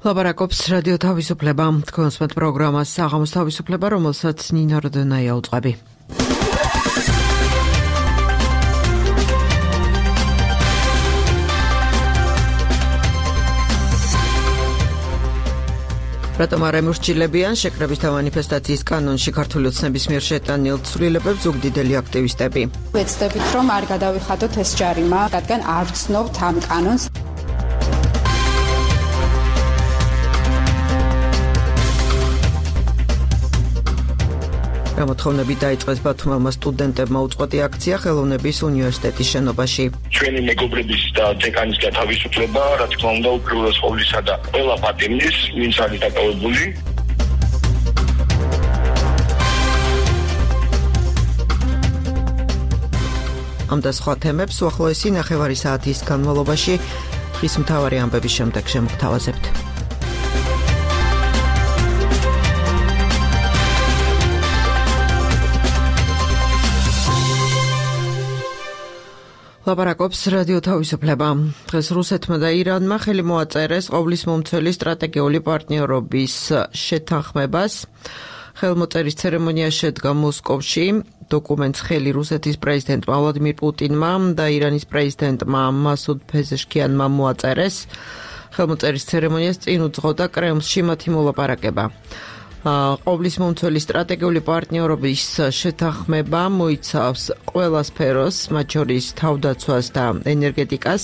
ლაპარაკობს რადიო თავისუფლება, თქვენს მათ პროგრამას საღამოს თავისუფლება, რომელსაც ნინო როდონაია უწყები. რატომ არ ემორჩილებიან შეკრებისთა მანიფესტაციის კანონში ქართული ოცნების მიერ შეტანილ ცვლილებებს ზუგდიდელი აქტივისტები. ვეცდებით, რომ არ გადავიხადოთ ეს ჯარიმა, რადგან არ ვცნობთ ამ კანონს. გამოთხოვნები დაიწყეს ბათუმელმა სტუდენტებმა უწყვეტი აქცია ხელოვნების უნივერსიტეტის შენობაში. ჩვენი მეგობრების და დეკანის გათავისუფლება, რა თქმა უნდა, უპირველეს ყოვლისა და ყველა პატიმრის, ვინც არის დაკავებული. ამ და სხვა თემებს უახლოესი ნახევარი საათის განმავლობაში დღის მთავარი ამბების შემდეგ შემოგთავაზებთ. ლაპარაკობს რადიო თავისუფლება. დღეს რუსეთმა და ირანმა ხელი მოაწერეს ყოვლის მომცველი სტრატეგიული პარტნიორობის შეთანხმებას. ხელმოწერის ცერემონია შედგა მოსკოვში. დოკუმენტს ხელი რუსეთის პრეზიდენტმა ვლადიმირ პუტინმა და ირანის პრეზიდენტმა მასუდ პეზეშკიანმა მოაწერეს. ხელმოწერის ცერემონიას წინ უძღოდა კრემლში მათი მოლაპარაკება. ყოვლის მომცველი სტრატეგიული პარტნიორობის შეთანხმება მოიცავს ყველა სფეროს, მათ შორის თავდაცვას და ენერგეტიკას.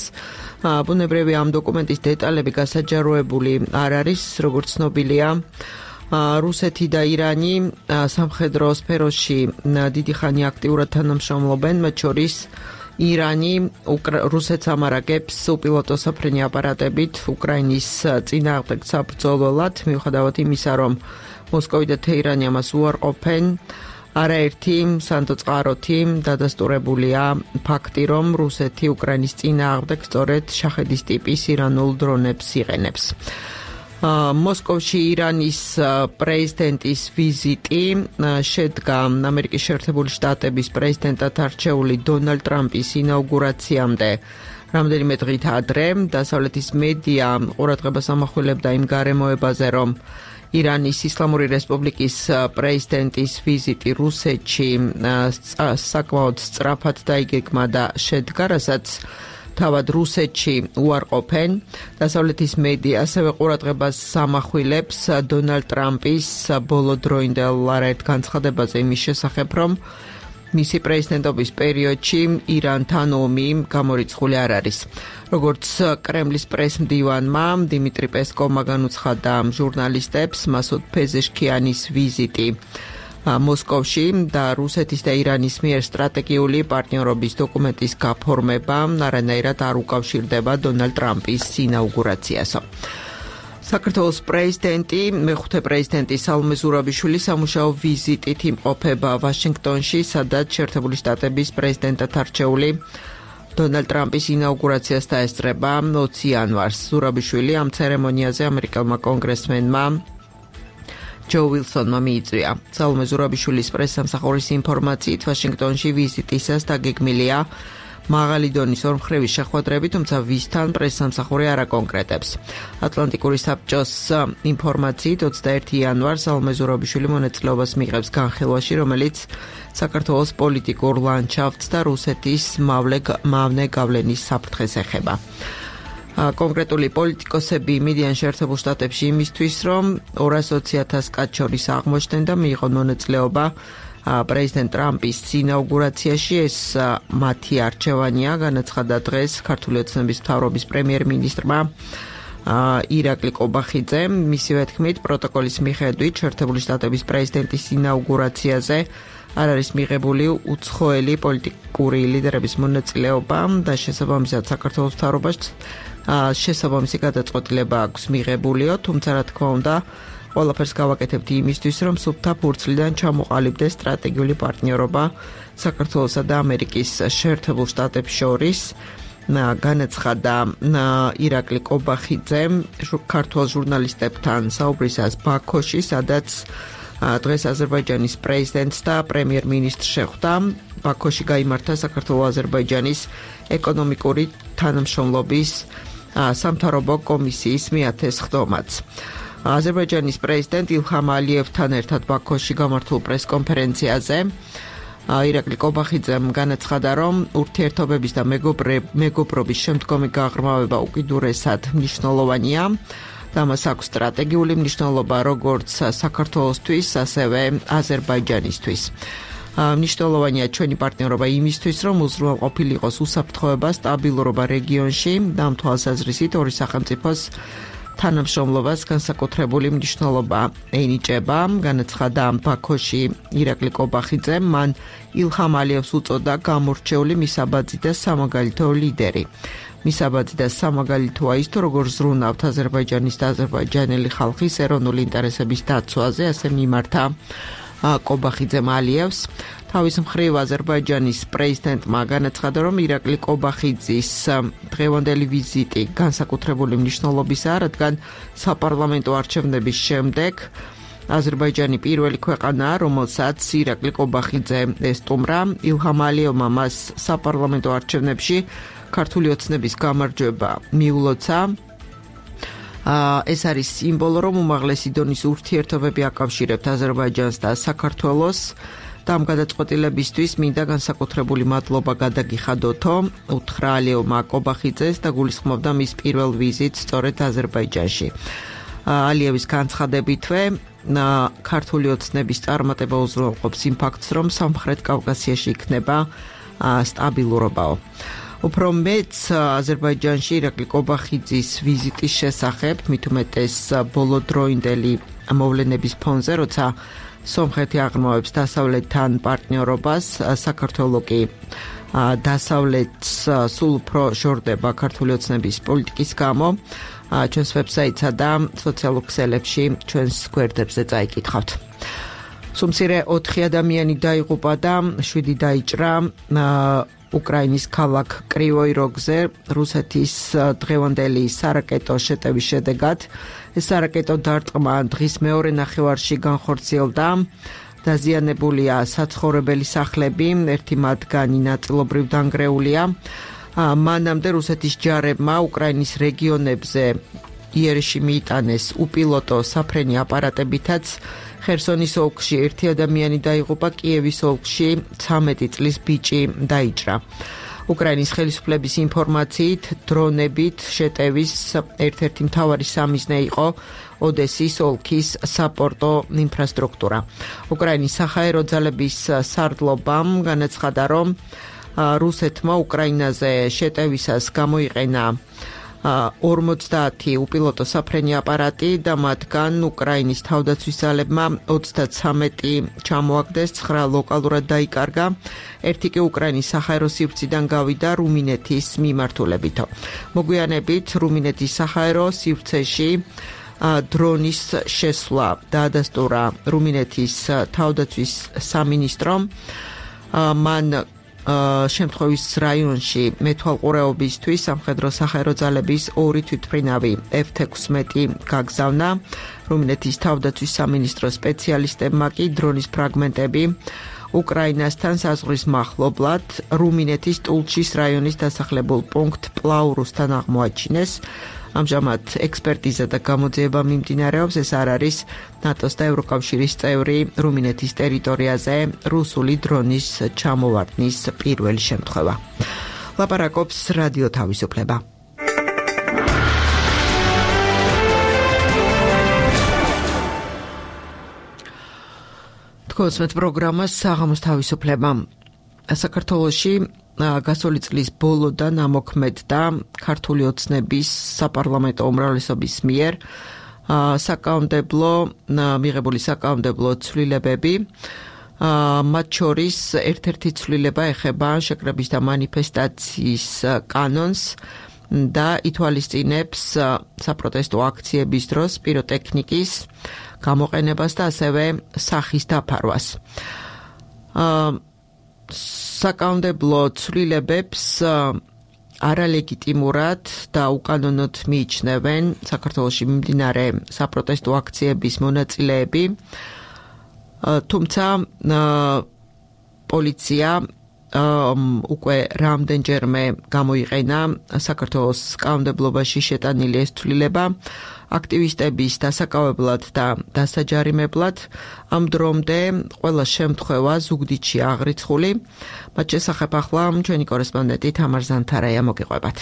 ბუნებრივია, ამ დოკუმენტის დეტალები გასაჯაროებული არ არის, როგორც ცნობილია. რუსეთი და ირანი სამხედრო სფეროში დიდი ხანი აქტიურად თანამშრომლობენ, მათ შორის ირანი რუსეთს ამარაგებს უპილოტო საფრენი აპარატებით უკრაინის წინააღმდეგ საბრძოლველად, მიუხედავად იმისა, რომ მოსკოვი და თეირანი ამას უარყოფენ. არაერთი სანდოწყაროთი დადასტურებულია ფაქტი, რომ რუსეთი უკრაინის წინააღმდეგ სწორედ შაჰედის ტიპის ირანულ დრონებს იყენებს. მოსკოვში ირანის პრეზიდენტის ვიზიტი შედგა ამერიკის შეერთებული შტატების პრეზიდენტად არჩეული დონალდ ტრამპის ინაუგურაციამდე. რამდენიმე დღით ადრე დასავლეთის მედია ყურადღებას ამახვილებდა იმ გარემოებაზე, რომ ირანის ისლამური რესპუბლიკის პრეზიდენტის ვიზიტი რუსეთში საკმაოდ სწრაფად დაიგეგმა და შედგა, რასაც თავად რუსეთში უარყოფენ. დასავლეთის მედია ასევე ყურადღებას ამახვილებს დონალდ ტრამპის ბოლოდროინდელ არაერთ განცხადებაზე იმის შესახებ, რომ მისი პრეზიდენტობის პერიოდში ირანთან ომი გამორიცხული არ არის. როგორც კრემლის პრესმდივანმა დიმიტრი პესკოვმა განუცხადა ჟურნალისტებს, მასუდ პეზეშკიანის ვიზიტი მოსკოვში და რუსეთის და ირანის მიერ სტრატეგიული პარტნიორობის დოკუმენტის გაფორმება არანაირად არ უკავშირდება დონალდ ტრამპის ინაუგურაციასო. საქართველოს პრეზიდენტი, მეხუთე პრეზიდენტი სალომე ზურაბიშვილი სამუშაო ვიზიტით იმყოფება ვაშინგტონში, სადაც შეერთებული შტატების პრეზიდენტად არჩეული დონალდ ტრამპის ინაუგურაციას დაესწრება 20 იანვარს. ზურაბიშვილი ამ ცერემონიაზე ამერიკელმა კონგრესმენმა ჯო ვილსონმა მიიწვია. სალომე ზურაბიშვილის პრესსამსახურის ინფორმაციით, ვაშინგტონში ვიზიტისას დაგეგმილია მაღალი დონის ორმხრივი შეხვედრები, თუმცა ვისთან პრესსამსახური არ აკონკრეტებს. ატლანტიკური საბჭოს ინფორმაციით 21 იანვარს სალომე ზურაბიშვილი მონაწილეობას მიიღებს განხილვაში, რომელიც საქართველოს პოლიტიკურ ლანდშაფტს და რუსეთის მავნე გავლენის საფრთხეს ეხება. კონკრეტული პოლიტიკოსები მიდიან შეერთებულ შტატებში იმისთვის, რომ 220,000 კაცს შორის აღმოჩნდნენ და მიიღონ მონაწილეობა პრეზიდენტ ტრამპის ინაუგურაციაში. ეს მათი არჩევანია, განაცხადა დღეს ქართული ოცნების მთავრობის პრემიერ-მინისტრმა ირაკლი კობახიძემ. მისივე თქმით, პროტოკოლის მიხედვით შეერთებული შტატების პრეზიდენტის ინაუგურაციაზე არ არის მიღებული უცხოელი პოლიტიკური ლიდერების მონაწილეობა და შესაბამისად საქართველოს მთავრობას შესაბამისი გადაწყვეტილება აქვს მიღებულიო, თუმცა რა თქმა უნდა ყველაფერს გავაკეთებთ იმისთვის, რომ სუფთა ფურცლიდან ჩამოყალიბდეს სტრატეგიული პარტნიორობა საქართველოსა და ამერიკის შეერთებულ შტატებს შორის. განაცხადა ირაკლი კობახიძემ ქართულ ჟურნალისტებთან საუბრისას ბაქოში, სადაც დღეს აზერბაიჯანის პრეზიდენტს და პრემიერ-მინისტრს შეხვდა. ბაქოში გაიმართა საქართველოს-აზერბაიჯანის ეკონომიკური თანამშრომლობის სამთავრობო კომისიის მიათესხდომაც. აზერბაიჯანის პრეზიდენტ ილჰამ ალიევთან ერთად ბაქოში გამართულ პრესკონფერენციაზე ირაკლი კობახიძემ განაცხადა, რომ ურთიერთობების და მეგობრობის შემდგომი გაღრმავება უკიდურესად მნიშვნელოვანია და მას აქვს სტრატეგიული მნიშვნელობა როგორც საქართველოსთვის, ასევე აზერბაიჯანისთვის. მნიშვნელოვანია ჩვენი პარტნიორობა იმისთვის, რომ უზრუნველყოფილი იყოს უსაფრთხოება, სტაბილურობა რეგიონში და ამ თვალსაზრისით ორი სახელმწიფოს თანამშრომლობას განსაკუთრებული მნიშვნელობა ენიჭება, განაცხადა ბაქოში ირაკლი კობახიძემ, მან ილჰამ ალიევს უწოდა გამორჩეული მისაბაძი და სამაგალითო ლიდერი. მისაბაძი და სამაგალითოა ის, თუ როგორ ზრუნავთ აზერბაიჯანის და აზერბაიჯანელი ხალხის ეროვნული ინტერესების დაცვაზე, ასე მიმართა კობახიძემ ალიევს. თავის მხრივ აზერბაიჯანის პრეზიდენტმა განაცხადა, რომ ირაკლი კობახიძის დღევანდელი ვიზიტი განსაკუთრებული მნიშვნელობისაა, რადგან საპარლამენტო არჩევნების შემდეგ აზერბაიჯანი პირველი ქვეყანაა, რომელსაც ირაკლი კობახიძე ესტუმრა. ილჰამ ალიევმა მას საპარლამენტო არჩევნებში ქართული ოცნების გამარჯვება მიულოცა. ეს არის სიმბოლო, რომ უმაღლესი დონის ურთიერთობები აკავშირებთ აზერბაიჯანს და საქართველოს. და ამ გადაწყვეტილებისთვის მინდა განსაკუთრებული მადლობა გადაგიხადოთო, უთხრა ალიევმა კობახიძეს და გულისხმობდა მის პირველ ვიზიტს სწორედ აზერბაიჯანში. ალიევის განცხადებითვე ქართული ოცნების წარმატება უზრუნველყოფს იმ ფაქტს, რომ სამხრეთ კავკასიაში იქნება სტაბილურობაო. უფრო მეც აზერბაიჯანში ირაკლი კობახიძის ვიზიტის შესახებ, მით უმეტეს ბოლოდროინდელი მოვლენების ფონზე, როცა სომხეთი აღრმავებს დასავლეთთან პარტნიორობას, საქართველოს კი დასავლეთს სულ უფრო ჟორდება ქართული ოცნების პოლიტიკის გამო. ჩვენს ვებსაიტსა და სოციალურ ქსელებში ჩვენს გვერდებზე წაიკითხავთ. სუმცირე 4 ადამიანი დაიღუპა და 7 დაიჭრა უკრაინის ქალაქ კრივოი როგზე რუსეთის დღევანდელი სარაკეტო შეტევის შედეგად. ეს სარაკეტო დარტყმა დღის მეორე ნახევარში განხორციელდა. დაზიანებულია საცხოვრებელი სახლები, ერთი მათგანი ნაწილობრივ დანგრეულია. მანამდე რუსეთის ჯარებმა უკრაინის რეგიონებზე იერში მიიტანეს უპილოტო საფრენი აპარატებითაც. ხერსონის ოლქში 1 ადამიანი დაიღუპა, კიევის ოლქში 13 წლის ბიჭი დაიჭრა. უკრაინის ხელისუფლების ინფორმაციით, დრონებით შეტევის ერთ-ერთი მთავარი სამიზნე იყო ოდესის ოლქის საპორტო ინფრასტრუქტურა. უკრაინის საჰაერო ძალების სარდლობამ განაცხადა, რომ რუსეთმა უკრაინაზე შეტევისას გამოიყენა 50 უპილოტო საფრენი აპარატი და მათგან უკრაინის თავდაცვის ძალებმა 33 ჩამოაგდეს, 9 ლოკალურად დაიკარგა, ერთი კი უკრაინის საჰაერო სივრციდან გავიდა რუმინეთის მიმართულებითო. მოგვიანებით რუმინეთის საჰაერო სივრცეში დრონის შესვლა დაადასტურა რუმინეთის თავდაცვის სამინისტრომ. მან შემთხვევის რაიონში მეთვალყურეობისთვის სამხედრო საჰაერო ძალების 2 თვითმფრინავი F-16 გაგზავნა. რუმინეთის თავდაცვის სამინისტროს სპეციალისტებმა კი დრონის ფრაგმენტები უკრაინასთან საზღვრის მახლობლად რუმინეთის ტულჩის რაიონის დასახლებულ პუნქტ პლაურუსთან აღმოაჩინეს. ამჟამად ექსპერტიზა და გამოძიება მიმდინარეობს. ეს არ არის ნატოს და ევროკავშირის წევრი რუმინეთის ტერიტორიაზე რუსული დრონის ჩამოვარდნის პირველი შემთხვევა. ლაპარაკობს რადიო თავისუფლება. თქვენს პროგრამას საღამოს თავისუფლება. საქართველოში გასული წლის ბოლოდან ამოქმედდა ქართული ოცნების საპარლამენტო უმრავლესობის მიერ მიღებული საკანონმდებლო ცვლილებები. მათ შორის ერთ-ერთი ცვლილება ეხება შეკრების და მანიფესტაციის კანონს და ითვალისწინებს საპროტესტო აქციების დროს პიროტექნიკის გამოყენებას და ასევე სახის დაფარვას. საკანონმდებლო ცვლილებებს არალეგიტიმურად და უკანონოდ მიიჩნევენ საქართველოში მიმდინარე საპროტესტო აქციების მონაწილეები, თუმცა პოლიცია უკვე რამდენჯერმე გამოიყენა საქართველოს კანონმდებლობაში შეტანილი ეს ცვლილება აქტივისტების დასაკავებლად და დასაჯარიმებლად. ამ დრომდე ყველა შემთხვევა ზუგდიდში აღრიცხული. მათ შესახებ ახლა ჩვენი კორესპონდენტი თამარ ზანთარაია მოგიყვებათ.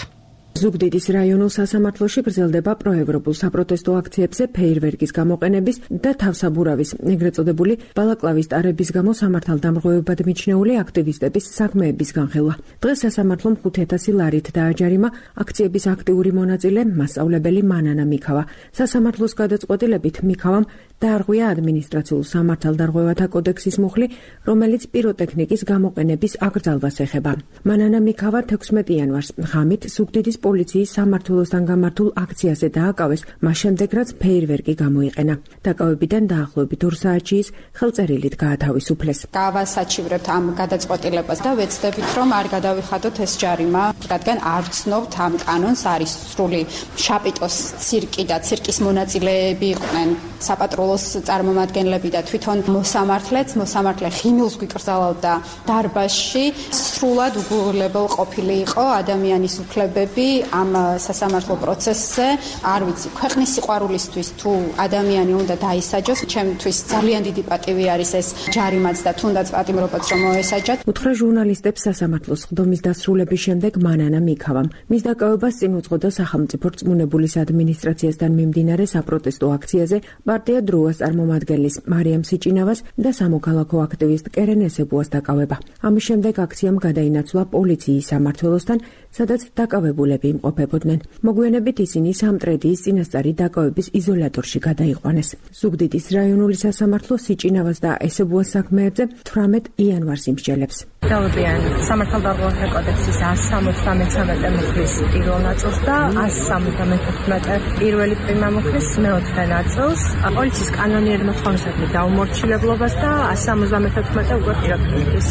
ზუგდიდის რაიონულ სასამართლოში გრძელდება პროევროპულ საპროტესტო აქციებზე ფეირვერკის გამოყენების და თავსაბურავის, ეგრეთ წოდებული ბალაკლავის ტარების გამო სამართალდამღვრევებად მიჩნეული აქტივისტების საქმეების განხილვა. დღეს სასამართლომ 5,000 ლარით დააჯარიმა აქციების აქტიური მონაწილე მასწავლებელი მანანა მიქავა. სასამართლოს გადაწყვეტილებით მიქავამ დაარღვია ადმინისტრაციულ სამართალდამღვრევათა კოდექსის მუხლი, რომელიც პიროტექნიკის გამოყენების აკრძალვას ეხება. მანანა მიქავა 16 იანვარს ღამით ზუგდიდის პოლიციის სამმართველოსთან გამართულ აქციაზე დააკავეს, მას შემდეგ რაც ფეირვერკი გამოიყენა. დაკავებიდან დაახლოებით 2 საათში ის ხელწერილით გაათავისუფლეს. გავასაჩივრებთ ამ გადაწყვეტილებას და ვეცდებით, რომ არ გადავიხადოთ ეს ჯარიმა, რადგან არ ვცნობთ ამ კანონს, არის სრული შაპიტოს ცირკი და ცირკის მონაწილეები იყვნენ საპატრულოს წარმომადგენლები და თვითონ მოსამართლე ხიმილს გვიკრძალავდა დარბაზში. სრულად უგულებელ ყოფილი იყო ადამიანის უფლებები ამ სასამართლო პროცესზე. არ ვიცი, ქვეყნის სიყვარულისთვის თუ ადამიანი უნდა დაისაჯოს, ჩემთვის ძალიან დიდი პატივი არის ეს ჯარიმაც და თუნდაც პატიმრობაც რომ მოესაჯათ. უთხრა ჟურნალისტებს სასამართლოს ხდომის დასრულების შემდეგ მანანა მიქავამ. მის დაკავებას წინ უძღოდა სახელმწიფო რწმუნებულის ადმინისტრაციასთან მიმდინარე საპროტესტო აქციაზე პარტია დროას წარმომადგენლის მარიამ სიჭინავას და სამოქალაქო აქტივისტ კერენ ესებუას დაკავება. ამის შემდეგ აქციამ გადაინაცვლა პოლიციის სამმართველოსთან, სადაც დაკავებულები იმყოფებოდნენ. მოგვიანებით ისინი სამტრედიის წინასწარი დაკავების იზოლატორში გადაიყვანეს. ზუგდიდის რაიონული სასამართლო სიჭინავას და ესებუას საქმეებზე 18 იანვარს იმსჯელებს. დავებიან სამართალდამღვრევათა კოდექსის 173 მუხლის პირველ ნაწილს და 175 პირველი პრიმა მუხლის მეოთხე ნაწილს, პოლიციის კანონიერი მოთხოვნისადმი დაუმორჩილებლობას და 174 უკვე პიროტექნიკის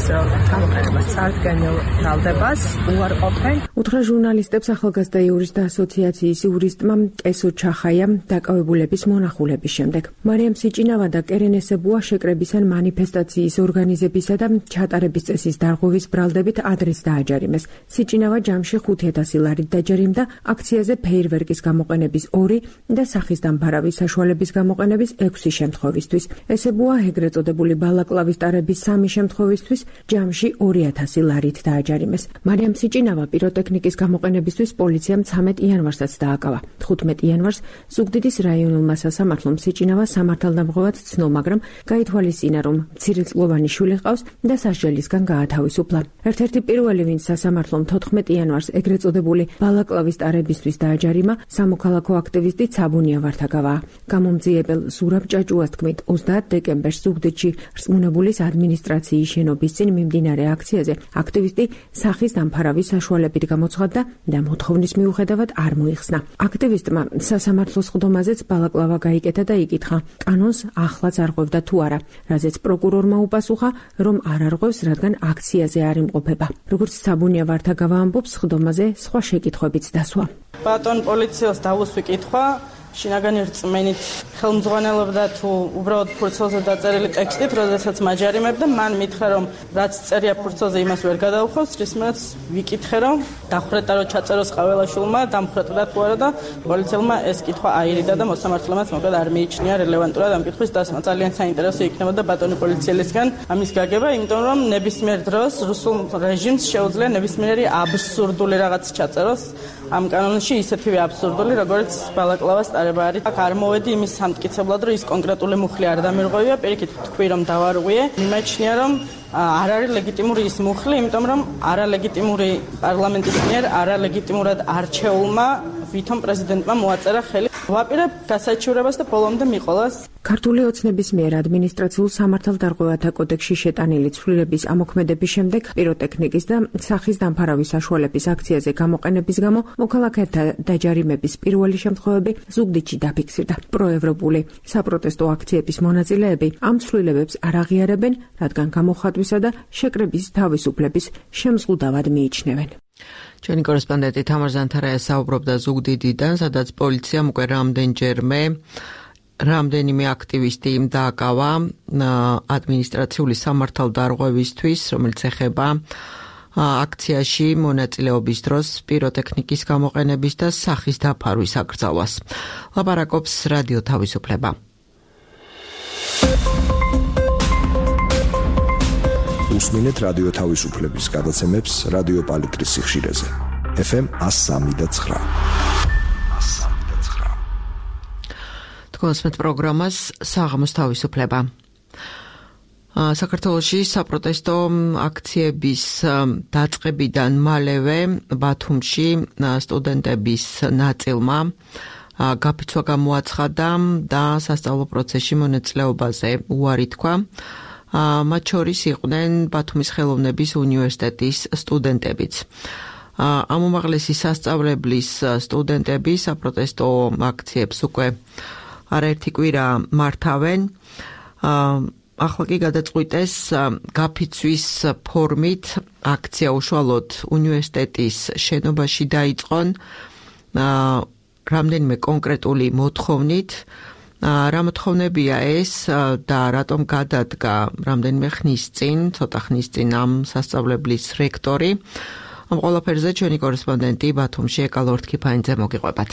გამოყენებას წარდგენილ ბრალდებას უარყოფენ. უთხრა ჟურნალისტებს ახალგაზრდა იურისტთა ასოციაციის იურისტმა კესო ჩახაიამ დაკავებულების მონახულების შემდეგ. მარიამ სიჭინავა და კერენ ესებუა შეკრების ან მანიფესტაციის ორგანიზებისა და ჩატარების წესის დარღვევის ბრალდებით ადრეს დააჯარიმეს. სიჭინავა ჯამში 5,000 ლარით დაჯარიმდა აქციაზე ფეირვერკის გამოყენების 2 და სახის დამფარავის საშუალების გამოყენების 6 შემთხვევისთვის. ესებუა ეგრეთ წოდებული ბალაკლავის ტარების 3 შემთხვევისთვის ჯამში 2,000 ლარით დააჯარიმეს. მარიამ სიჭინავა პიროტექნიკის გამოყენებისთვის პოლიციამ 13 იანვარსაც დააკავა. 15 იანვარს ზუგდიდის რაიონულმა სასამართლომ სიჭინავა სამართალდამღვრევად ცნო, მაგრამ გაითვალისწინა, რომ მცირეწლოვანი შვილი ჰყავს და სასჯელისგან გაათავისუფლა. ერთ-ერთი პირველი, ვინც სასამართლომ 14 იანვარს ეგრეთ წოდებული ბალაკლავის ტარებისთვის დააჯარიმა, სამოქალაქო აქტივისტი ცაბუნია ვართაგავა. გამომძიებელ ზურაბ ჭაჭუას თქმით, 30 დეკემბერს ზუგდიდში რწმუნებულის ადმინისტრაციის შენობის წინ მიმდინარე აქციაზე აქტივისტი სახის დამფარავის საშუალებით გამოცხადდა და მოთხოვნის მიუხედავად არ მოიხსნა. აქტივისტმა სასამართლოს ხდომაზეც ბალაკლავა გაიკეთა და იკითხა, კანონს ახლაც არღვევდა თუ არა, რაზეც პროკურორმა უპასუხა, რომ არ არღვევს, რადგან აქციაზე არ იმყოფება. როგორც საბუნია ვართაგავა ამბობს, ხდომაზე სხვა შეკითხვებიც დასვა. ბატონ პოლიციელს დავუსვი კითხვა, შინაგანი რწმენით ხელმძღვანელობდა თუ უბრალოდ ფურცელზე დაწერილი ტექსტით, როდესაც მაჯარიმებდა, მან მითხრა, რომ რაც წერია ფურცელზე, იმას ვერ გადაუხავს, რისმაც ვიკითხე, რომ დახვრეტა რომ ჩაწეროს ყაველაშვილმა, დამხრეტდა თუ არა და პოლიციელმა ეს კითხვა აირიდა და მოსამართლემაც მოკლედ არ მიიჩნია რელევანტურად ამ კითხვის დასმა. ძალიან საინტერესო იქნებოდა ბატონი პოლიციელისგან ამის გაგება, იმიტომ რომ ნებისმიერ დროს რუსულ რეჟიმს შეუძლია ნებისმიერი აბსურდული რაღაც ჩაწეროს ამ კანონში, ისეთივე აბსურდული, როგორც ბალაკლავას ტარება არის. აქ არ მოვედი იმის სამტკიცებლად, რომ ის კონკრეტული მუხლი არ დამირღვევია, პირიქით თქვი, რომ დავარღვიე. მიმაჩნია, რომ არ არის ლეგიტიმური ის მუხლი, იმიტომ რომ არალეგიტიმური პარლამენტის მიერ არალეგიტიმურად არჩეულმა ვითომ პრეზიდენტმა მოაწერა ხელი. ვაპირებ გასაჩივრებას და ბოლომდე მიყოლას. ქართული ოცნების მიერ ადმინისტრაციულ სამართალდამღვრევათა კოდექსში შეტანილი ცვლილების ამოქმედების შემდეგ პიროტექნიკის და სახის დამფარავის საშუალების აქციაზე გამოყენების გამო მოქალაქეთა დაჯარიმების პირველი შემთხვევები ზუგდიდში დაფიქსირდა. პროევროპული საპროტესტო აქციების მონაწილეები ამ ცვლილებებს არ აღიარებენ, რადგან გამოხატვისა და შეკრების თავისუფლების შემზღუდავად მიიჩნევენ. ჩვენი კორესპონდენტი თამარ ზანთარაია საუბრობდა ზუგდიდიდან, სადაც პოლიციამ უკვე რამდენიმე აქტივისტი დააკავა ადმინისტრაციული სამართალდამღვრევისთვის, რომელიც ეხება აქციაში მონაწილეობის დროს პიროტექნიკის გამოყენების და სახის დაფარვის აკრძალვას. ლაპარაკობს რადიო თავისუფლება. უსმინეთ რადიო თავისუფლების გადაცემებს რადიო პალიტრის სიხშირეზე. FM 103.9. თქვენს პროგრამას საღამოს თავისუფლება. საქართველოში საპროტესტო აქციების დაწყებიდან მალევე ბათუმში სტუდენტების ნაწილმა გაფიცვა გამოაცხადა და სასწავლო პროცესში მონაწილეობაზე უარი თქვა. მათ შორის იყვნენ ბათუმის ხელოვნების უნივერსიტეტის სტუდენტებიც. ამ უმაღლესი სასწავლებლის სტუდენტები საპროტესტო აქციებს უკვე არაერთი კვირა მართავენ. ახლა კი გადაწყვიტეს გაფიცვის ფორმით აქცია უშუალოდ უნივერსიტეტის შენობაში დაიწყონ რამდენიმე კონკრეტული მოთხოვნით. რა მოთხოვნებია ეს და რატომ გადადგა რამდენიმე ხნის წინ, ცოტა ხნის წინ ამ სასწავლებლის რექტორი. ამ ყველაფერზე ჩვენი კორესპონდენტი ბათუმში ეკალო ორთქიფანიძე მოგიყვებათ.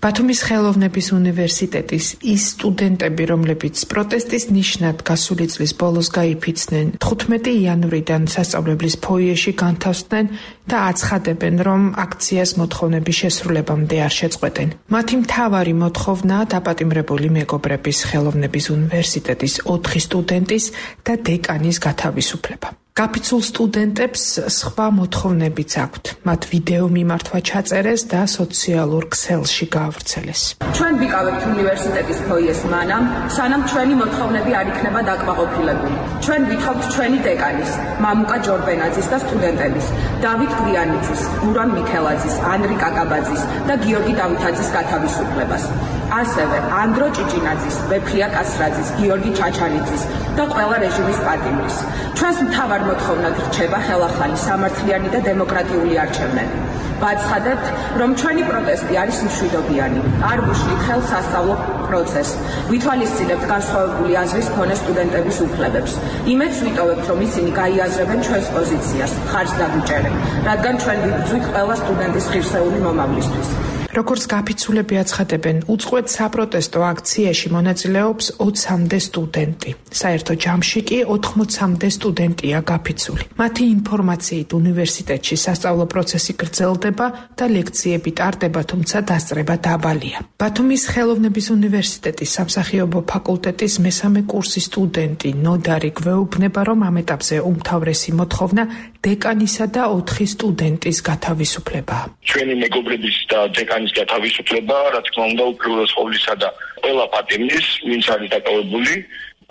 ბათუმის ხელოვნების უნივერსიტეტის ის სტუდენტები, რომლებიც პროტესტის ნიშნად გასული წლის ბოლოს გაიფიცნენ, 15 იანვრიდან სასწავლებლის ფოიეში განთავსდნენ და აცხადებენ, რომ აქციას მოთხოვნების შესრულებამდე არ შეწყვეტენ. მათი მთავარი მოთხოვნაა დაპატიმრებული მეგობრების ხელოვნების უნივერსიტეტის 4 სტუდენტის და დეკანის გათავისუფლება. გაფიცულ სტუდენტებს სხვა მოთხოვნებიც აქვთ. მათ ვიდეო მიმართვა ჩაწერეს და სოციალურ ქსელში გაავრცელეს. ჩვენ ვიკავებთ უნივერსიტეტის ფოიეს მანამ, სანამ ჩვენი მოთხოვნები არ იქნება დაკმაყოფილებული. ჩვენ ვითხოვთ ჩვენი დეკანის, მამუკა ჯორბენაძის და სტუდენტების, დავით გვიანიძის, გურამ მიქელაძის, ანრი კაკაბაძის და გიორგი დავითაძის გათავისუფლებას. ასევე ანდრო ჭიჭინაძის, ვეფხია კასრაძის, გიორგი ჩაჩანიძის და ყველა რეჟიმის პატიმრის. ჩვენს მთავარ მოთხოვნად რჩება ხელახალი, სამართლიანი და დემოკრატიული არჩევნები. ვაცხადებთ, რომ ჩვენი პროტესტი არის მშვიდობიანი. არ ვუშლით ხელს სასწავლო პროცესს. ვითვალისწინებთ განსხვავებული აზრის მქონე სტუდენტების უფლებებს. იმედს ვიტოვებთ, რომ ისინი გაიაზრებენ ჩვენს პოზიციას, ხარჯს დაგვიჭერენ, რადგან ჩვენ ვიბრძვით ყველა სტუდენტის ღირსეული მომავლისთვის. როგორც გაფიცულები აცხადებენ, უწყვეტ საპროტესტო აქციაში მონაწილეობს 20-მდე სტუდენტი. საერთო ჯამში კი 80-მდე სტუდენტია გაფიცული. მათი ინფორმაციით უნივერსიტეტში სასწავლო პროცესი გრძელდება და ლექციები ტარდება, თუმცა დასწრება დაბალია. ბათუმის ხელოვნების უნივერსიტეტის სამსახიობო ფაკულტეტის მესამე კურსის სტუდენტი ნოდარი გვეუბნება, რომ ამ ეტაპზე უმთავრესი მოთხოვნა დეკანისა და 4 სტუდენტის გათავისუფლებაა. ჩვენი მეგობრების და დეკანის გათავისუფლება, რა თქმა უნდა, უპირველეს ყოვლისა და ყველა პატიმრის, ვინც არის დაკავებული,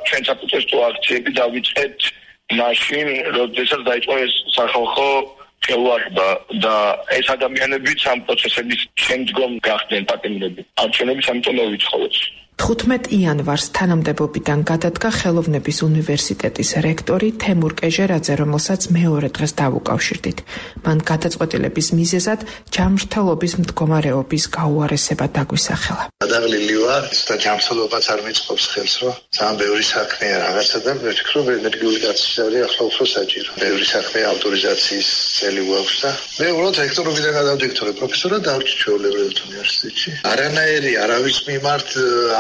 ჩვენ საპროტესტო აქციები დავიწყეთ მაშინ, როდესაც დაიწყო ეს სახალხო ხელვარება და ეს ადამიანებიც ამ პროცესების შემდგომ გახდნენ პატიმრები. არჩევნების ამიტომ მოვიცხოვეთ. 15 იანვარს თანამდებობიდან გადადგა ხელოვნების უნივერსიტეტის რექტორი თემურ კეჟერაძე, რომელსაც მეორე დღეს დავუკავშირდით. მან გადაწყვეტილების მიზეზად ჯანმრთელობის მდგომარეობის გაუარესება დაგვისახელა. გადაღლილი ვარ და ჯანმრთელობაც არ მიწყობს ხელს, რომ ძალიან ბევრი საქმეა რაღაცა და ვფიქრობ, ენერგიული გაწესებრი ახლა უფრო საჭირო. ბევრი საქმე ავტორიზაციის წელი გვაქვს და მე უბრალოდ რექტორობიდან გადავდიექტორე პროფესორად დავრჩი ჩვეულებრივ უნივერსიტეტში. არანაირი არავის მიმართ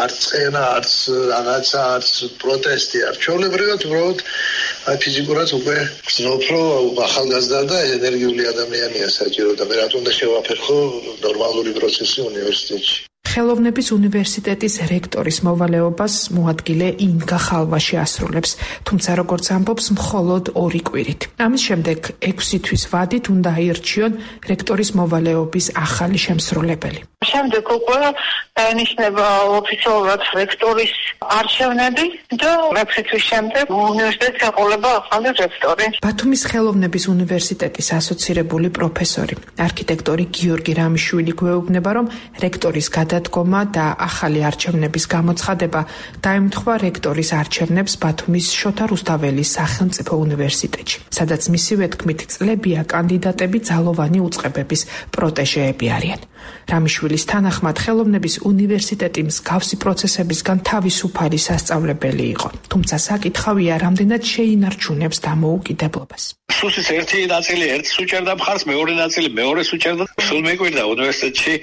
არც წენა, არც რაღაცა, არც პროტესტი არ. ჩვეულებრივად უბრალოდ ფიზიკურად უკვე გრძნობ, რომ ახალგაზრდა და ენერგიული ადამიანია საჭირო და მე რატომ უნდა შევაფერხო ნორმალური პროცესი უნივერსიტეტში. ხელოვნების უნივერსიტეტის რექტორის მოვალეობას მოადგილე ინგა ხალვაში ასრულებს, თუმცა როგორც ამბობს, მხოლოდ 2 კვირით. ამის შემდეგ 6 თვის ვადით უნდა აირჩიონ რექტორის მოვალეობის ახალი შემსრულებელი. შემდეგ უკვე დაინიშნება ოფიციალურად რექტორის არჩევნები და 6 თვის შემდეგ უნივერსიტეტს ეყოლება ახალი რექტორი. ბათუმის ხელოვნების უნივერსიტეტის ასოცირებული პროფესორი, არქიტექტორი გიორგი რამიშვილი გვეუბნება, რომ რექტორის გადადგომა და ახალი არჩევნების გამოცხადება დაემთხვა რექტორის არჩევნებს ბათუმის შოთა რუსთაველის სახელმწიფო უნივერსიტეტში, სადაც მისივე თქმით წლებია კანდიდატები ძალოვანი უწყებების პროტეჟეები არიან. რამიშვილის თანახმად ხელოვნების უნივერსიტეტი მსგავსი პროცესებისგან თავისუფალი სასწავლებელი იყო. თუმცა საკითხავია, რამდენად შეინარჩუნებს დამოუკიდებლობას. სუსის ერთი ნაწილი ერთს უჭერდა მხარს, მეორე ნაწილი მეორეს უჭერდა. სულ მეკვირდა უნივერსიტეტში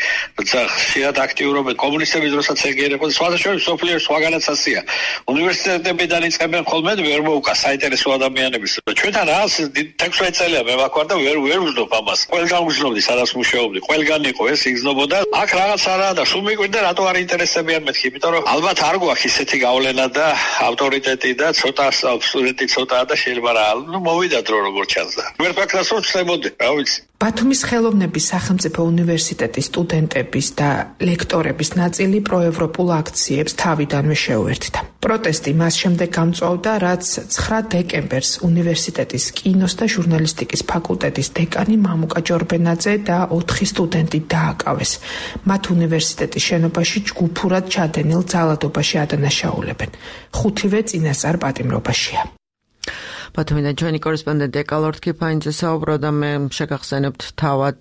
ხშირად აქტიურობენ კომუნისტების დროსაც ეგ იყო. სხვადასხვა სოფლიოს სხვაგანაც ასია. უნივერსიტეტებიდან იწყებენ ხოლმე ვერ მოუკა საინტერესო ადამიანების. ჩვენთან რას 16 წელია მე ვაქვარ და ვერ ვზნობ ამას. ყველგან ვზნობდი, სადაც მუშაობდი, ყველგან იყო ეს იგზნობოდა. აქ რაღაც არაა და სულ მეკვირდა რატო არ ინტერესებიან მეთქი, იმიტომ რომ ალბათ არ გვაქვს ისეთი გავლენა და ავტორიტეტი და ცოტა სტუდენტი ცოტაა და შეიძლება რა მოვიდა დრო როგორ ჩანს და ვერ ფაქტორს ვწებოდი, რა ვიცი. ბათუმის ხელოვნების სახელმწიფო უნივერსიტეტის სტუდენტების და ლექტორების ნაწილი პროევროპულ აქციებს თავიდანვე შეუერთდა. პროტესტი მას შემდეგ გამწვავდა, რაც 9 დეკემბერს უნივერსიტეტის კინოს და ჟურნალისტიკის ფაკულტეტის დეკანი მამუკა ჯორბენაძე და 4 სტუდენტი დააკავეს. მათ უნივერსიტეტის შენობაში ჯგუფურად ჩადენილ ძალადობაში ადანაშაულებენ. 5-ვე წინასწარ პატიმრობაშია. ბათუმიდან ჩვენი კორესპონდენტი ეკალორდ ქიფაინძე საუბრობდა, მე შეგახსენებთ თავად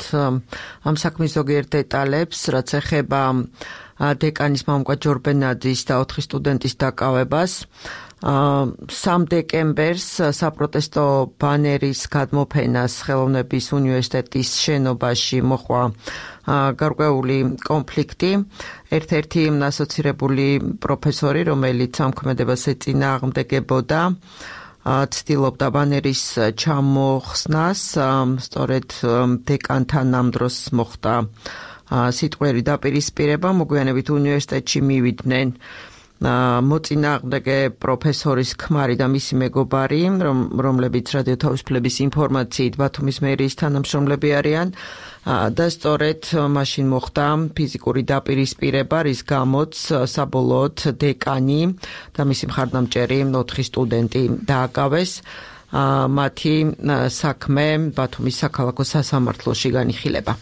ამ საქმის ზოგიერთ დეტალებს, რაც ეხება დეკანის მამუკა ჯორბენაძის და 4 სტუდენტის დაკავებას. 3 დეკემბერს საპროტესტო ბანერის გადმოფენას ხელოვნების უნივერსიტეტის შენობაში მოხდა გარკვეული კონფლიქტი. ერთ-ერთი ასოცირებული პროფესორი, რომელიც ამქმედებას ეწინააღმდეგებოდა, ცდილობდა ბანერის ჩამოხსნას, სწორედ დეკანთან ამ დროს მოხდა სიტყვიერი დაპირისპირება, მოგვიანებით უნივერსიტეტში მივიდნენ მოწინააღმდეგე პროფესორის ქმარი და მისი მეგობარი, რომლებიც რადიო თავისუფლების ინფორმაციით ბათუმის მერიის თანამშრომლები არიან და სწორედ მაშინ მოხდა ფიზიკური დაპირისპირება, რის გამოც საბოლოოდ დეკანი და მისი მხარდამჭერი 4 სტუდენტი დააკავეს. მათი საქმე ბათუმის საქალაქო სასამართლოში განიხილება.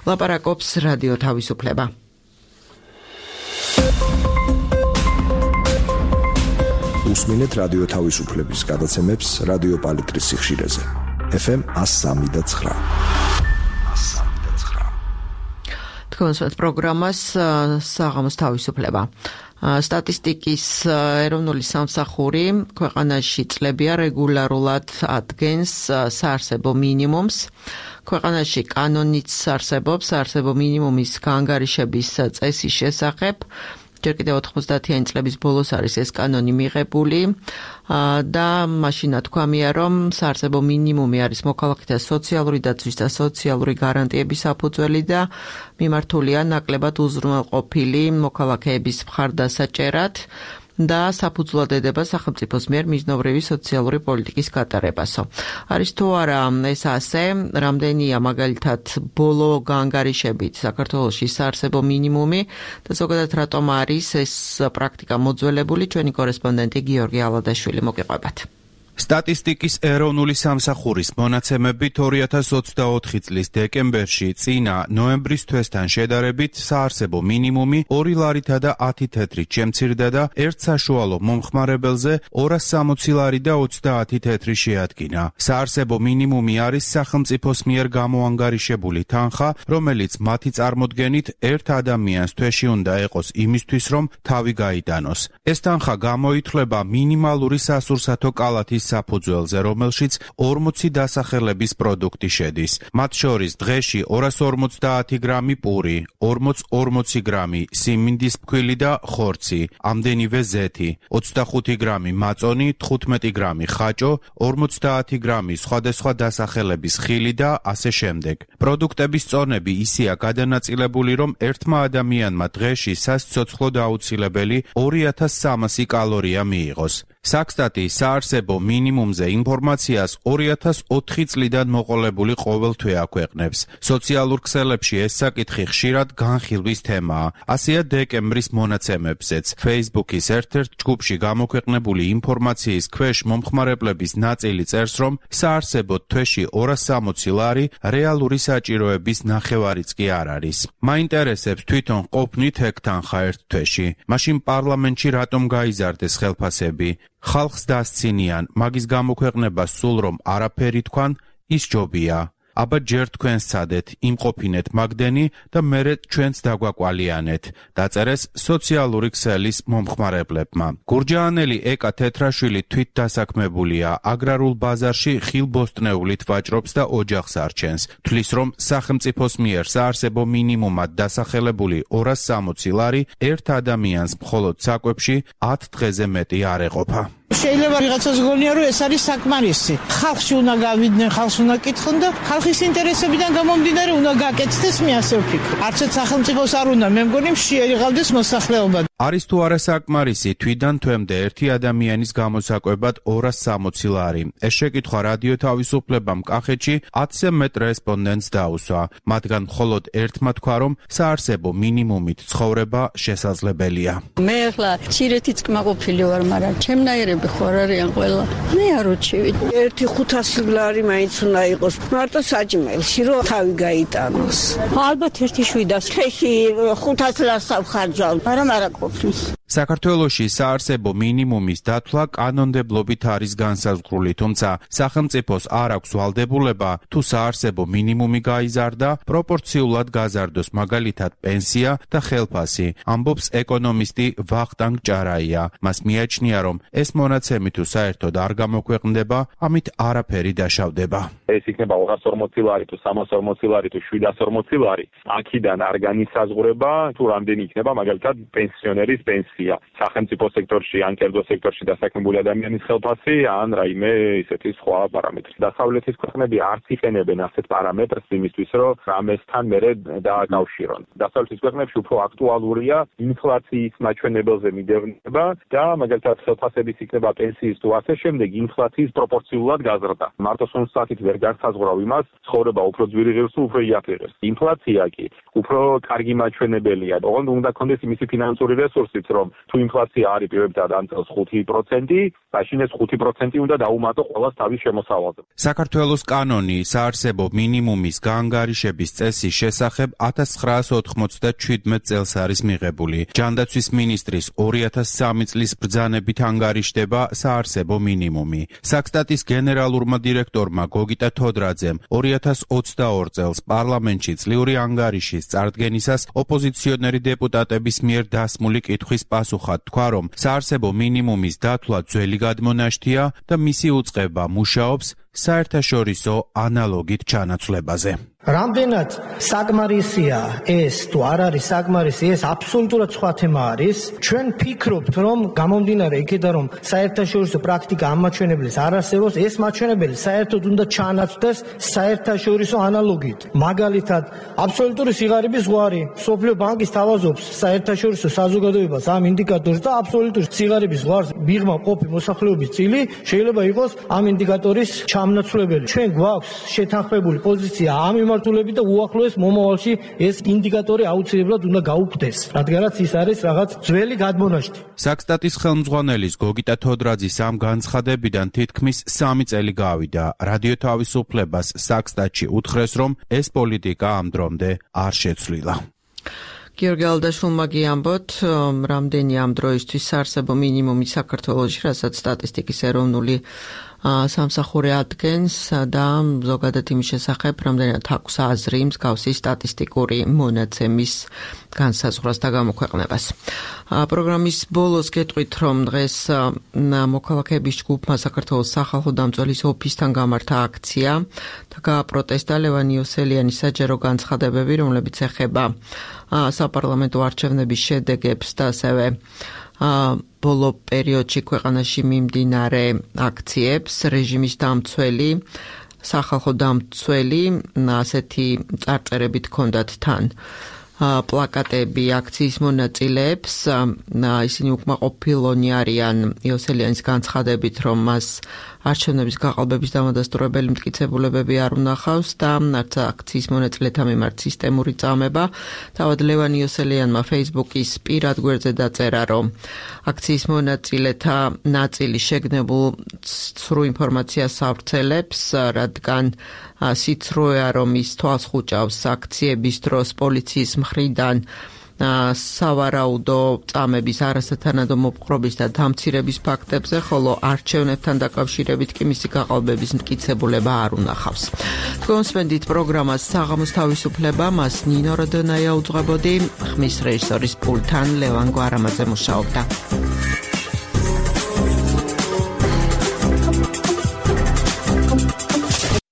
ლაპარაკობს რადიო თავისუფლება. უსმინეთ რადიო თავისუფლების გადაცემებს რადიო პალიტრის სიხშირეზე. FM 103.9. თქვენს პროგრამას საღამოს თავისუფლება. სტატისტიკის ეროვნული სამსახური ქვეყანაში წლებია რეგულარულად ადგენს საარსებო მინიმუმს. ქვეყანაში კანონიც არსებობს საარსებო მინიმუმის გაანგარიშების წესის შესახებ. ჯერ კიდევ 90-იანი წლების ბოლოს არის ეს კანონი მიღებული და მაშინ თქვამია, რომ საარსებო მინიმუმი არის მოქალაქეთა სოციალური დაცვის და სოციალური გარანტიების საფუძველი და მიმართულია ნაკლებად უზრუნველყოფილი მოქალაქეების მხარდასაჭერად და საფუძვლად ედება სახელმწიფოს მიერ მიზნობრივი სოციალური პოლიტიკის გატარებასო. არის თუ არა ეს ასე, რამდენია მაგალითად ბოლო გაანგარიშებით საქართველოში საარსებო მინიმუმი და ზოგადად რატომ არის ეს პრაქტიკა მოძველებული, ჩვენი კორესპონდენტი გიორგი ალადაშვილი მოგიყვებათ. სტატისტიკის ეროვნული სამსახურის მონაცემებით 2024 წლის დეკემბერში წინა ნოემბრის თვესთან შედარებით საარსებო მინიმუმი 2 ლარითა და 10 თეთრით შემცირდა და ერთ საშუალო მომხმარებელზე 260 ლარი და 30 თეთრი შეადგინა. საარსებო მინიმუმი არის სახელმწიფოს მიერ გამოანგარიშებული თანხა, რომელიც მათი წარმოდგენით ერთ ადამიანს თვეში უნდა ეყოს იმისთვის, რომ თავი გაიტანოს. ეს თანხა გამოითვლება მინიმალური სასურსათო კალათის საფუძველზე, რომელშიც 40 დასახელების პროდუქტი შედის. მათ შორის დღეში 250 გრამი პური, 40 გრამი სიმინდის ფქვილი და ხორცი, ამდენივე ზეთი, 25 გრამი მაწონი, 15 გრამი ხაჭო, 50 გრამი სხვადასხვა დასახელების ხილი და ასე შემდეგ. პროდუქტების წონები ისეა გადანაწილებული, რომ ერთმა ადამიანმა დღეში სასიცოცხლოდ აუცილებელი 2300 კალორია მიიღოს. საქსტატი საარსებო მინიმუმზე ინფორმაციას 2004 წლიდან მოყოლებული ყოველთვე აქვეყნებს. სოციალურ ქსელებში ეს საკითხი ხშირად განხილვის თემაა. ასეა დეკემბრის მონაცემებზეც. Facebook-ის ერთ-ერთ ჯგუფში გამოქვეყნებული ინფორმაციის ქვეშ მომხმარებლების ნაწილი წერს, რომ საარსებოდ თვეში 260 ლარი რეალური საჭიროების ნახევარიც კი არ არის. მაინტერესებს თვითონ ყოფნით ეგ თანხა ერთ თვეში. მაშინ პარლამენტში რატომ გაიზარდეს ხელფასები? ხალხს დასცინიან, მაგის გამოქვეყნება სულ რომ არაფერი თქვან, ის ჯობია. აბა ჯერ თქვენ სცადეთ, იმყოფინეთ მაგდენი და მერე ჩვენც დაგვაკვალიანეთ, დაწერეს სოციალური ქსელის მომხმარებლებმა. გურჯაანელი ეკა თეთრაშვილი თვით დასაქმებულია, აგრარულ ბაზარში ხილბოსტნეულით ვაჭრობს და ოჯახს არჩენს. თვლის, რომ სახელმწიფოს მიერ საარსებო მინიმუმად დასახელებული 260 ლარი ერთ ადამიანს მხოლოდ საკვებში 10 დღეზე მეტი არ ეყოფა. შეიძლება ვიღაცას გონია რომ ეს არის საკმარისი. ხალხში უნდა გავიდნენ, ხალხს უნდა კითხონ და ხალხის ინტერესებიდან გამომდინარე უნდა გაკეთდეს, მე ასე ვფიქრობ. არცერთ სახელმწიფოს არ უნდა, მე მგონი შეერიღავდეს მოსახლეობა. არის თუ არა საკმარისი თვიდან თვემდე ერთი ადამიანის გამოსაკვებად 260 ლარი. ეს შეკითხვა რადიო თავისუფლებამ კახეთში 10-ზე მეტ რესპონდენტს დაუსვა. მათგან მხოლოდ ერთმა თქვა, რომ საარსებო მინიმუმით ცხოვრება შესაძლებელია. მე ახლა მცირეთიც კმაყოფილი ვარ, მაგრამ ჩემნაირები ხوار არიან ყველა. მე არ ვჩივი. 1-500 ლარი მაინც უნდა იყოს. მარტო საჭმელში რომ თავი გაიტანოს. ალბათ 1-700. ხეში 500 ლარს ავხარჯავ, მაგრამ არა ყოფნის. საქართველოში საარსებო მინიმუმის დათვლა კანონმდებლობით არის განსაზღვრული, თუმცა სახელმწიფოს არ აქვს ვალდებულება თუ საარსებო მინიმუმი გაიზარდა, პროპორციულად გაზარდოს მაგალითად პენსია და ხელფასი, ამბობს ეკონომისტი ვახტანგ ჭარაია. მას მიაჩნია, რომ ეს მონაცემი თუ საერთოდ არ გამოქვეყნდება, ამით არაფერი დაშავდება. ეს იქნება 240 ლარი თუ 340 ლარი თუ 740 ლარი, აქედან არ განისაზღვრება თუ რამდენი იქნება მაგალითად პენსიონერის პენსია. სახელმწიფო სექტორში ან კერძო სექტორში დასაქმებული ადამიანის ხელფასი ან რაიმე ისეთი სხვა პარამეტრი. დასავლეთის ქვეყნები არც იყენებენ ასეთ პარამეტრს იმისთვის, რომ ამასთან მერე დააკავშირონ. დასავლეთის ქვეყნებში უფრო აქტუალურია ინფლაციის მაჩვენებელზე მიდევნება და მაგალითად ხელფასების იქნება პენსიის თუ ასე შემდეგ ინფლაციის პროპორციულად გაზრდა. მარტო სუნსათით ვერ განსაზღვრავ იმას, ცხოვრება უფრო ძვირი ღირს თუ უფრო იაფი ღირს. ინფლაცია კი უფრო კარგი მაჩვენებელია. ოღონდ უნდა კონდეს იმისი ფინანსური რესურსიც, რომ თუ ინფლაცია არის პირობითად ამ წელს 5%, მაშინ ეს 5% უნდა დაუმატო ყოველს თავის შემოსავალზე. საქართველოს კანონი საარსებო მინიმუმის გაანგარიშების წესის შესახებ 1997 წელს არის მიღებული. ჯანდაცვის მინისტრის 2003 წლის ბრძანებით ანგარიშდება საარსებო მინიმუმი. საქსტატის გენერალურმა დირექტორმა გოგიტა თოდრაძემ 2022 წელს პარლამენტში წლიური ანგარიშის წარდგენისას ოპოზიციონერი დეპუტატების მიერ დასმული კითხვის პასუხად თქვა, რომ საარსებო მინიმუმის დათვლა ძველი გადმონაშთია და მისი უწყება მუშაობს საერთაშორისო ანალოგით ჩანაცვლებაზე. რამდენად საკმარისია ეს თუ არ არის საკმარისი, ეს აბსოლუტურად სხვა თემა არის. ჩვენ ფიქრობთ, რომ გამომდინარე იქიდან, რომ საერთაშორისო პრაქტიკა ამ მაჩვენებელს არ არსებობს, ეს მაჩვენებელი საერთოდ უნდა ჩანაცვლდეს საერთაშორისო ანალოგით. მაგალითად, აბსოლუტური სიღარიბის ზღვარი, მსოფლიო ბანკი სთავაზობს საერთაშორისო საზოგადოებას ამ ინდიკატორს და აბსოლუტური სიღარიბის ზღვარს მიღმა ყოფი მოსახლეობის წილი შეიძლება იყოს ამ ინდიკატორის ჩამნაცვლებელი. ჩვენ გვაქვს შეთანხმებული პოზიცია ამ მიმართულებით და უახლოეს მომავალში ეს ინდიკატორი აუცილებლად უნდა გაუქმდეს, რადგანაც ის არის რაღაც ძველი გადმონაშთი. საქსტატის ხელმძღვანელის გოგიტა თოდრაძის ამ განცხადებიდან თითქმის 3 წელი გავიდა. რადიო თავისუფლებას საქსტატში უთხრეს, რომ ეს პოლიტიკა ამ დრომდე არ შეცვლილა. გიორგი ალდაშვილმა გიამბოთ, რამდენი ამ დროისთვის საარსებო მინიმუმი საქართველოში, რასაც სტატისტიკის ეროვნული სამსახური ადგენს და ზოგადად იმის შესახებ, რამდენად აქვს აზრი მსგავსი სტატისტიკური მონაცემის განსაზღვრას და გამოქვეყნებას. პროგრამის ბოლოს გეტყვით, რომ დღეს მოქალაქეების ჯგუფმა საქართველოს სახალხო დამცველის ოფისთან გამართა აქცია და გააპროტესტა ლევან იოსელიანის საჯარო განცხადებები, რომლებიც ეხება საპარლამენტო არჩევნების შედეგებს და ასევე ბოლო პერიოდში ქვეყანაში მიმდინარე აქციებს. რეჟიმის დამცველი, სახალხო დამცველი ასეთი წარწერებით ჰქონდათ თან პლაკატები აქციის მონაწილეებს. ისინი უკმაყოფილონი არიან იოსელიანის განცხადებით, რომ მას არჩევნების გაყალბების დამადასტურებელი მტკიცებულებები არ უნახავს და არც აქციის მონაწილეთა მიმართ სისტემური წამება. თავად ლევან იოსელიანმა Facebook-ის პირად გვერდზე დაწერა, რომ აქციის მონაწილეთა ნაწილი შეგნებულ ცრუ ინფორმაციას ავრცელებს, რადგან სიცრუეა, რომ ის თვალს ხუჭავს აქციების დროს პოლიციის მხრიდან სავარაუდო წამების არასათანადო მოპყრობის და დამცირების ფაქტებზე, ხოლო არჩევნებთან დაკავშირებით კი მისი გაყალბების მტკიცებულება არ უნახავს. თქვენსმენდით პროგრამას საღამოს თავისუფლება, მას ნინო როდონაია უძღვებოდი, ხმის რეჟისორის პულტთან ლევან გვარამაძე მუშაობდა.